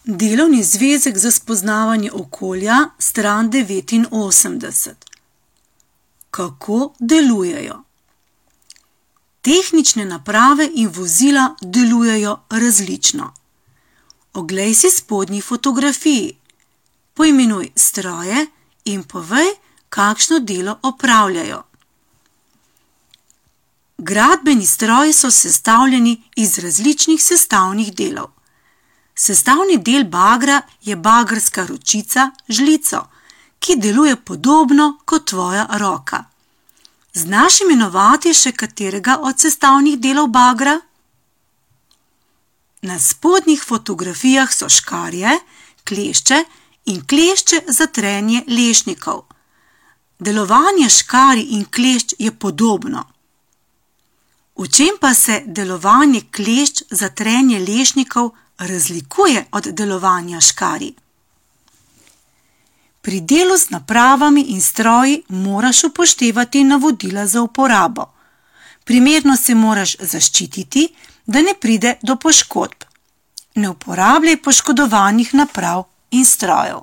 Delovni zvezek za spoznavanje okolja, stran 89. Kako delujejo? Tehnične naprave in vozila delujejo različno. Oglej si spodnji fotografiji. Poimenuj stroje in povej, kakšno delo opravljajo. Gradbeni stroji so sestavljeni iz različnih sestavnih delov. Sestavni del bagra je bagrska ročica, žlico, ki deluje podobno kot tvoja roka. Znaš imenovati še katerega od sestavnih delov bagra? Na spodnjih fotografijah so škarje, klešče in klešče za trenje lešnikov. Delovanje škarij in klešč je podobno. V čem pa se delovanje klešč za trenje lešnikov razlikuje od delovanja škarij? Pri delu z napravami in stroji moraš upoštevati navodila za uporabo. Primerno se moraš zaščititi, da ne pride do poškodb. Ne uporabljaj poškodovanih naprav in strojev.